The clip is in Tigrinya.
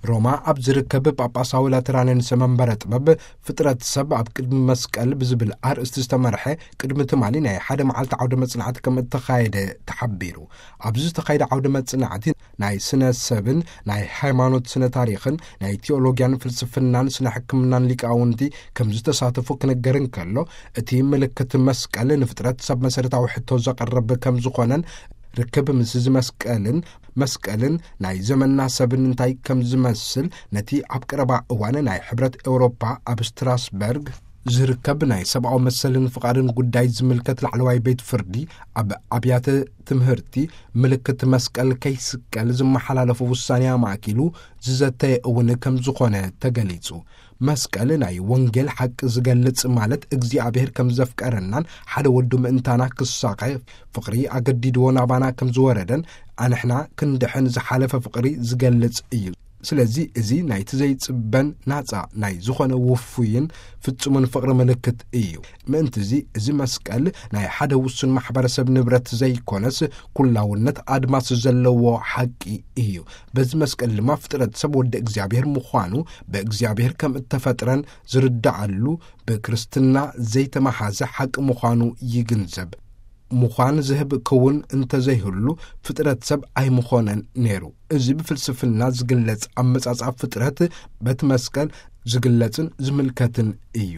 ሮማ ኣብ ዝርከብ ጳጳሳዊ ላተራንንስ መንበረ ጥበብ፣ ፍጥረት ሰብ ኣብ ቅድሚ መስቀል ብዝብል ኣርእስቲ ዝተመርሐ ቅድሚ ትማሊ ናይ ሓደ መዓልቲ ዓውደ መጽናዕቲ ከም እተኻየደ ተሓቢሩ። ኣብዚ ዝተኻየደ ዓውደ መጽናዕቲ ናይ ስነ ሰብን ናይ ሃይማኖት ስነ ታሪኽን ናይ ቴዎሎጊያን ፍልስፍናን ስነ ሕክምናን ሊቃውንቲ ከም ዝተሳተፉ ክነገር እንከሎ፣ እቲ ምልክት መስቀል ንፍጥረት ሰብ መሰረታዊ ሕቶ ዘቕርብ ከም ዝኾነን ርክብ ምስ እዚ መስቀልን መስቀልን ናይ ዘመንና ሰብን እንታይ ከም ዝመስል፣ ነቲ ኣብ ቀረባ እዋን ናይ ሕብረት ኤውሮፓ ኣብ ስትራስበርግ ዝርከብ ናይ ሰብኣዊ መሰልን ፍቓድን ጉዳይ ዝምልከት ላዕለዋይ ቤት ፍርዲ፣ ኣብ ኣብያተ ትምህርቲ ምልክት መስቀል ከይስቀል ዝመሓላለፉ ውሳኔ ኣማእኪሉ ዝዘተየ እውን ከም ዝኾነ ተገሊጹ። መስቀል ናይ ወንጌል ሓቂ ዝገልጽ፣ ማለት እግዚኣብሔር ከም ዘፍቀረናን ሓደ ወዱ ምእንታና ክሳቐ ፍቕሪ ኣገዲድዎ ናባና ከም ዝወረደን ኣንሕና ክንድሕን ዝሓለፈ ፍቕሪ ዝገልጽ እዩ። ስለዚ እዚ ናይቲ ዘይጽበን ናጻ ናይ ዝኾነ ውፉይን ፍጹምን ፍቕሪ ምልክት እዩ። ምእንቲ እዚ፣ እዚ መስቀል ናይ ሓደ ውሱን ማሕበረሰብ ንብረት ዘይኮነስ፣ ኩላውነት ኣድማስ ዘለዎ ሓቂ እዩ። በዚ መስቀል ድማ ፍጥረት ሰብ ወዲ እግዚኣብሔር ምዃኑ፣ ብእግዚኣብሔር ከም እተፈጥረን ዝርዳኣሉ፣ ብክርስትና ዘይተመሓዘ ሓቂ ምዃኑ ይግንዘብ። ምዃን ዝህብ ክውን እንተዘይህሉ፣ ፍጥረት ሰብ ኣይምኾነን ነይሩ። እዚ ብፍልስፍና ዝግለጽ ኣመጻጽኣ ፍጥረት በቲ መስቀል ዝግለጽን ዝምልከትን እዩ።